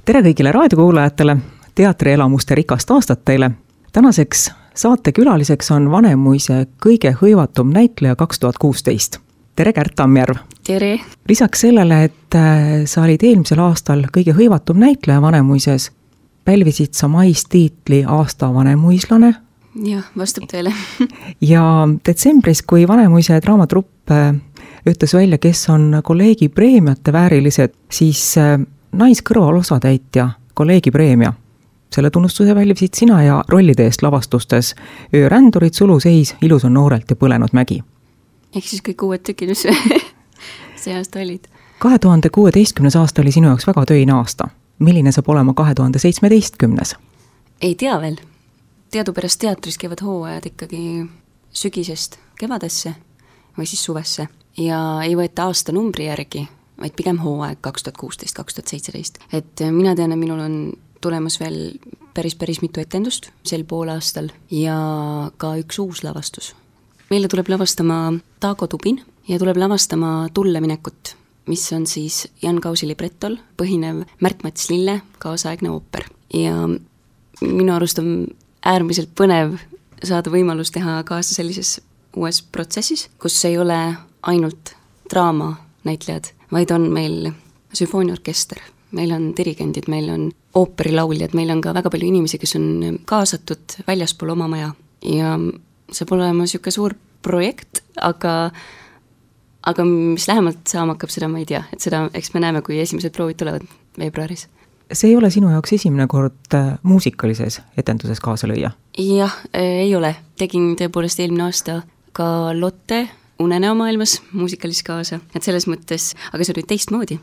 Tere kõigile raadiokuulajatele, teatrielamuste rikast aastat teile. Tänaseks saatekülaliseks on Vanemuise kõige hõivatum näitleja 2016. Tere, Kärt Tammjärv! Tere! Lisaks sellele, et sa olid eelmisel aastal kõige hõivatum näitleja Vanemuises, pälvisid sa mais tiitli aasta vanemuislane. Jah, vastab teile. Ja detsembris, kui Vanemuise draamatrupp ütles välja, kes on kolleegi preemiate väärilised, siis naiskõrval osatäitja kolleegi preemia. Selle tunnustuse välvisid sina ja rollide eest lavastustes Öörändurid, Suluseis, Ilus on noorelt ja Põlenud mägi. Ehk siis kõik uued tükid, mis see aasta olid. 2016. aasta oli sinu jaoks väga töine aasta. Milline saab olema 2017? Ei tea veel. Teadupärast teatris käivad hooajad ikkagi sügisest kevadesse või siis suvesse ja ei võeta aasta numbri järgi, vaid pigem hooaeg 2016-2017. Et mina tean, et minul on tulemas veel päris mitu etendust sel poolaastal ja ka üks uus lavastus. Meile tuleb lavastama Taago Tubin ja tuleb lavastama Tulleminekut, mis on siis Jan Kausi librettol põhinev Märt-Mats Lille kaasaegne ooper. Ja minu arust on äärmiselt põnev saada võimalus teha kaasa sellises uues protsessis, kus ei ole ainult draama näitlejad, vaid on meil sümfooniaorkester, meil on dirigendid, meil on ooperilauljad, meil on ka väga palju inimesi, kes on kaasatud väljaspool oma maja ja saab olema niisugune suur projekt, aga mis lähemalt saama hakkab, seda ma ei tea, et seda eks me näeme, kui esimesed proovid tulevad veebruaris. See ei ole sinu jaoks esimene kord muusikalises etenduses kaasa lüüa? Jah, ei ole. Tegin tõepoolest eelmine aasta ka Lotte Unenäo maailmas muusikalis kaasa. Et selles mõttes, aga see oli teistmoodi,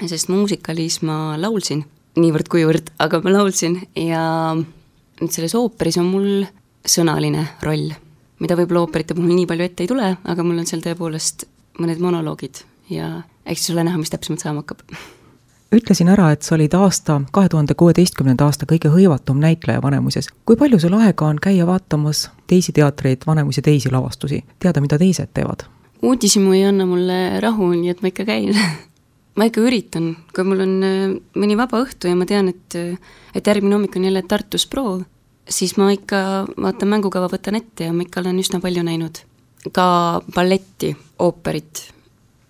sest muusikalis ma laulsin niivõrd kuivõrd, aga ma laulsin ja nüüd selles ooperis on mul sõnaline roll, mida võib-olla ooperite puhul nii palju ette ei tule, aga mul on seal tõepoolest mõned monoloogid ja eks siis ole näha, mis täpsemalt saama hakkab. Ütlesin ära, et sa olid 2016. aasta kõige hõivatum näitleja Vanemuises. Kui palju sul aega on käia vaatamas teisi teatreid, Vanemuise teisi lavastusi? Teada, mida teised teevad? Uudisimu ei anna mulle rahu, nii et ma ikka käin. Ma ikka üritan, kui mul on mõni vaba õhtu ja ma tean, et järgmine hommik on jälle Tartus proov, siis ma ikka vaatan mängukava, võtan ette ja ma ikka olen üsna palju näinud. Ka balletti, ooperit,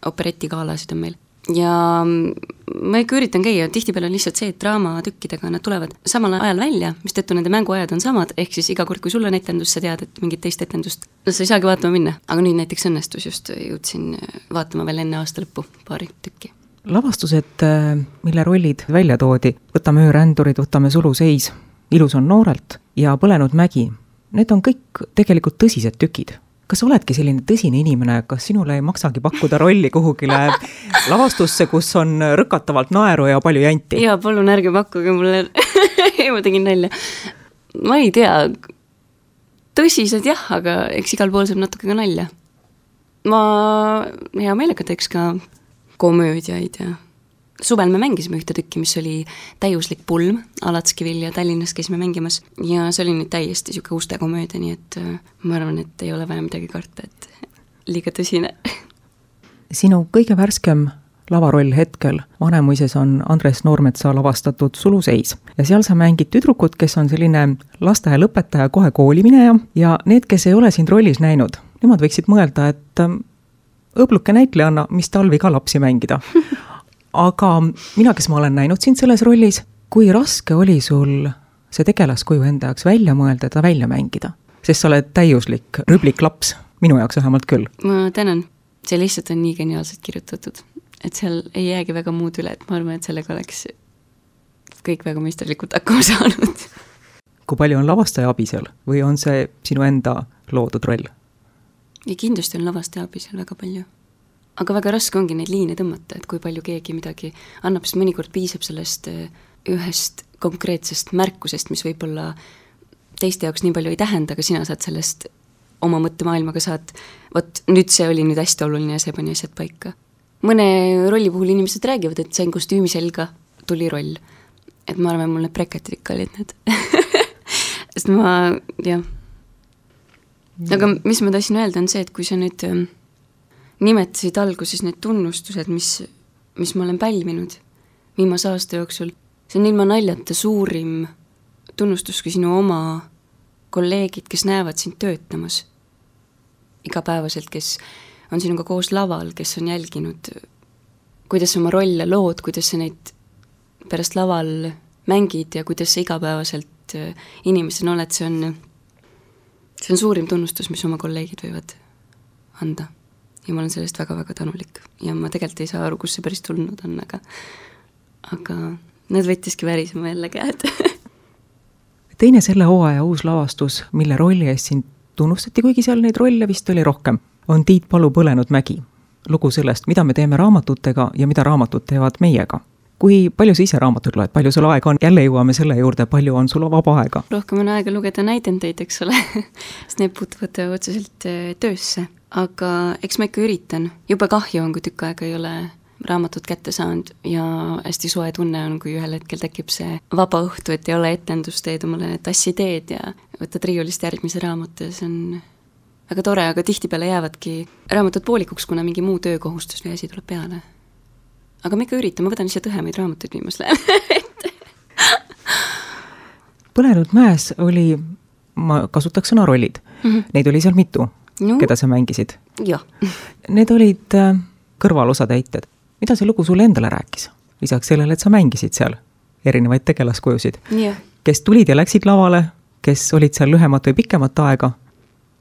operetikaalasid on meil. Ja ma ikka üritan käia, tihtipeale on lihtsalt see, et draamatükkidega nad tulevad samal ajal välja, mis tõttu nende mänguajad on samad, ehk siis iga kord, kui sul on etendus, sa tead, et mingit teist etendust, no sa ei saagi vaatama minna. Aga nüüd näiteks õnnestus just jõudsin vaatama veel enne aasta lõppu paari tükki. Lavastused, mille rollid välja toodi, võtame Öörändurid, võtame Suluseis, Ilus on noorelt ja Põlenud mägi, need on kõik tegelikult tõsised tükid. Kas oledki selline tõsine inimene, kas sinule ei maksagi pakkuda rolli kuhugile lavastusse, kus on rõkatavalt naeru ja palju janti? Jaa, palun ärge pakkuge mulle. Ma tegin nalja. Ma ei tea, tõsised jah, aga eks igal pool saab natuke ka nalja. Ma hea meelega teeks ka komöödiaid ja suvel me mängisime ühte tükki, mis oli Täiuslik pulm, Alatskivil ja Tallinnas käisime mängimas ja see oli nüüd täiesti siuke uste komöödia, nii et ma arvan, et ei ole vaja midagi karta, et liiga tõsine. Sinu kõige värskem lavaroll hetkel Vanemuises on Andres Noormetsa lavastatud Suluseis ja seal sa mängid tüdrukut, kes on selline lasteaia lõpetaja, kohe koolimineja ja need, kes ei ole sind rollis näinud, nemad võiksid mõelda, et õbluke näitlejanna, mis talvi ka lapsi mängida. Aga mina, kes ma olen näinud sind selles rollis, kui raske oli sul see tegelaskuju enda jaoks välja mõelda, ta välja mängida? Sest sa oled täiuslik rüblik laps, minu jaoks vähemalt küll. Ma tänan, see lihtsalt on nii geniaalselt kirjutatud, et seal ei jäägi väga muud üle, et ma arvan, et sellega oleks kõik väga meisterlikult hakkama saanud. Kui palju on lavastaja abi seal või on see sinu enda loodud roll? Ja kindlasti on lavastaja abi seal väga palju. Aga väga raske ongi neid liine tõmmata, et kui palju keegi midagi annab, sest mõnikord piisab sellest ühest konkreetsest märkusest, mis võib-olla teiste jaoks nii palju ei tähenda, aga sina saad sellest oma mõttemaailmaga saad, vot nüüd see oli nüüd hästi oluline ja see pani asjad paika. Mõne rolli puhul inimesed räägivad, et sain kostüümi selga, tuli roll. Et ma arvan, mul need breketid ikka olid need. Sest ma, jah. Aga mis ma tahtsin öelda on see, et kui sa nüüd nimetasid alguses need tunnustused, mis ma olen pälvinud viimase aasta jooksul, see on ilma naljata suurim tunnustus, kui sinu oma kolleegid, kes näevad sind töötamas igapäevaselt, kes on sinuga koos laval, kes on jälginud, kuidas sa oma rolle lood, kuidas sa neid pärast laval mängid ja kuidas sa igapäevaselt inimesena oled, see on suurim tunnustus, mis oma kolleegid võivad anda. Ja ma olen sellest väga-väga tänulik. Ja ma tegelikult ei saa aru, kus see päris tulnud on, aga nad võttiski värisema jälle käed. Teine selle hooaja uus lavastus, mille rolli eest sind tunnustati, kuigi seal neid rolle vist oli rohkem, on Tiit Palu Põlenud mägi. Lugu sellest, mida me teeme raamatutega ja mida raamatud teevad meiega. Kui palju sa ise raamatuid loed, palju sul aega on? Jälle jõuame selle juurde, palju on sul vaba aega? Rohkem on aega lugeda näidendeid, eks ole, sest need puutuvad otseselt töösse. Aga eks ma ikka üritan. Juba kahju on, kui tükk aega ei ole raamatut kätte saanud ja hästi soe tunne on, kui ühel hetkel tekib see vaba õhtu, et ei ole etendust, teed omale tassi teed ja võtad riiulist järgmise raamatu ja see on väga tore, aga tihtipeale jäävadki raamatud poolikuks, kuna mingi muu töökohustus või asi tuleb peale. Aga ma ikka üritan, ma võtan lihtsalt õhemaid raamatuid viimas läheb. Põlenud mäes oli, ma kasutaks sõna rollid. Neid oli seal mitu, keda sa mängisid. Jah. Need olid kõrvalosatäited. Mida see lugu sulle endale rääkis? Lisaks sellele, et sa mängisid seal erinevaid tegelaskujusid. Kes tulid ja läksid lavale, kes olid seal lühemat või pikemat aega?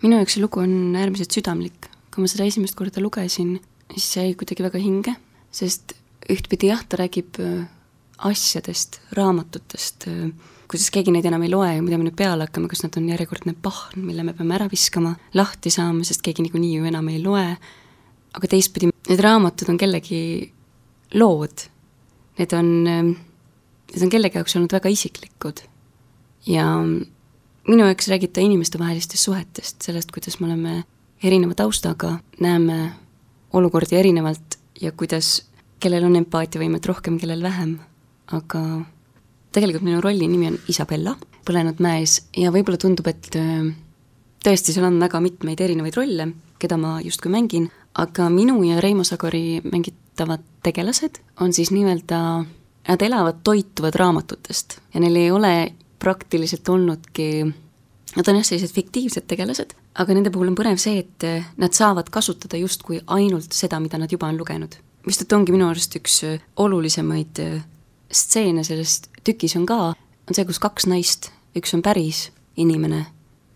Minu jaoks see lugu on äärmiselt südamlik. Kui ma seda esimest korda lugesin, siis see jäi kuidagi väga hinge, sest ühtpidi jah, ta räägib asjadest, raamatutest, kuidas keegi neid enam ei loe ja mida me nüüd peale hakkame, kas nad on järjekordne pahn, mille me peame ära viskama, lahti saama, sest keegi niikuinii ju enam ei loe. Aga teistpidi, need raamatud on kellegi lood. Need on kellegi jaoks olnud väga isiklikud. Ja minu jaoks räägib ta inimeste vahelistest suhetest, sellest, kuidas me oleme erineva taustaga, näeme olukordi erinevalt ja kuidas kellel on empaatiavõimet rohkem, kellel vähem. Aga tegelikult minu rolli nimi on Isabella, Põlenud mäes ja võib-olla tundub, et tõesti seal on väga mitmeid erinevaid rolle, keda ma justkui mängin, aga minu ja Reimo Sagori mängitavad tegelased on siis nimelda, nad elavad, toituvad raamatutest ja neil ei ole praktiliselt olnudki, nad on jah sellised fiktiivsed tegelased, aga nende puhul on põnev see, et nad saavad kasutada justkui ainult seda, mida nad juba on lugenud. Vist et ongi minu arust üks olulisemaid stseene sellest tükis on ka, on see, kus kaks naist, üks on päris inimene,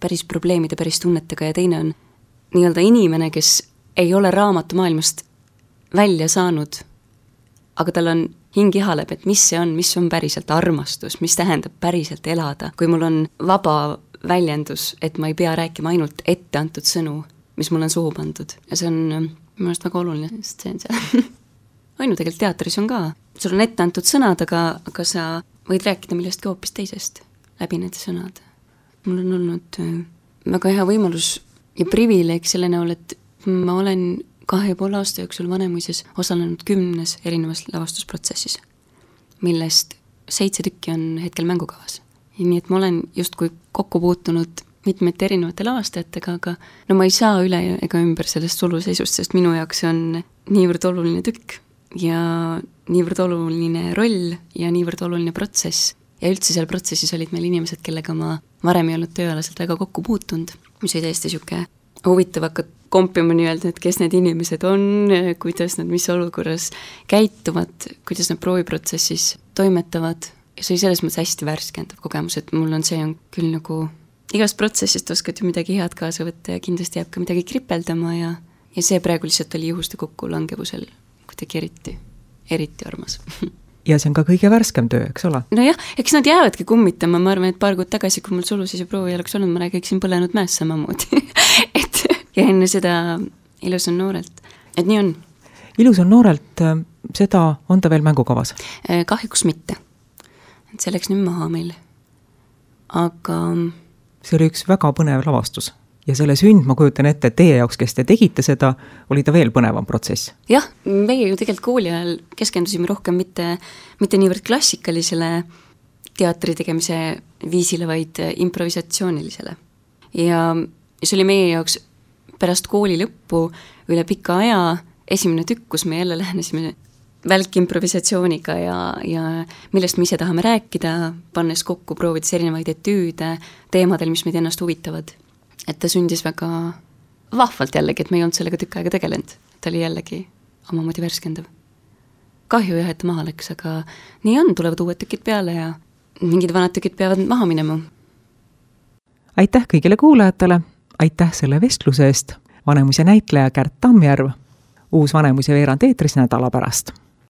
päris probleemide, päris tunnetega ja teine on nii-öelda inimene, kes ei ole raamatumaailmast välja saanud, aga tal on hing ihaleb, et mis on päriselt armastus, mis tähendab päriselt elada, kui mul on vaba väljendus, et ma ei pea rääkima ainult ette antud sõnu, mis mul on suhu pandud. Ja see on minu arust väga oluline, sest see on seal. Ainu tegelikult teatris on ka. Sul on ette antud sõnad, aga sa võid rääkida millestki hoopis teisest läbi need sõnad. Mul on olnud väga hea võimalus ja privileeg selle näol, et ma olen 2,5 aasta jooksul Vanemuises osalenud 10 erinevas lavastusprotsessis, millest 7 tükki on hetkel mängukavas. Ja nii, et ma olen justkui kokku puutunud mitmete erinevate lavastajatega, aga no ma ei saa üle ega ümber sellest suluseisust, sest minu jaoks on niivõrd oluline tükk ja niivõrd oluline roll ja niivõrd oluline protsess. Ja üldse seal protsessis olid meil inimesed, kellega ma varem ei olnud tööalaselt väga kokku puutunud, mis oli täiesti siuke huvitav hakata kompima nii-öelda, et kes need inimesed on, kuidas nad mis olukorras käituvad, kuidas nad prooviprotsessis toimetavad. Ja see oli selles mõttes hästi värskendav kogemus, et mul on see on küll nagu igast protsessist oskad ju midagi head kaasa võtta ja kindlasti jääb ka midagi kripeldama ja see praegu lihtsalt oli juhuste kokku langevusel kuidagi eriti armas. Ja see on ka kõige värskem töö, eks ole? No jah, eks nad jäävadki kummitama, ma arvan, et paar kuud tagasi, kui mul sulusis ja proovi oleks olnud, ma räägiksin Põlenud mäes samamoodi. Ja enne seda Ilus on noorelt. Et nii on. Ilus on noorelt, seda on ta veel mängukavas? Kahjuks mitte. Et see läks nüüd maha meil. Aga see oli üks väga põnev lavastus. Ja selle sünd, ma kujutan ette, et teie jaoks, kes te tegite seda, oli ta veel põnevam protsess. Jah, meie ju tegelikult kooli ajal keskendusime rohkem mitte niivõrd klassikalisele teatri tegemise viisile, vaid improvisatsioonilisele. Ja see oli meie jaoks pärast kooli lõppu üle pika aja esimene tükk, kus me jälle lähenesime välkimprovisatsiooniga ja millest me ise tahame rääkida, pannes kokku, proovides erinevaid etüüde teemadel, mis meid ennast huvitavad. Et ta sündis väga vahvalt jällegi, et me ei olnud sellega tükk aega tegelenud. Ta oli jällegi omamoodi värskendav. Kahju jah, et ta maha läks, aga nii on, tulevad uued tükid peale ja mingid vanad tükid peavad maha minema. Aitäh kõigile kuulajatele, aitäh selle vestluse eest, Vanemuise näitleja Kärt Tammjärv, uus Vanemuise veerand eetris nädala pärast.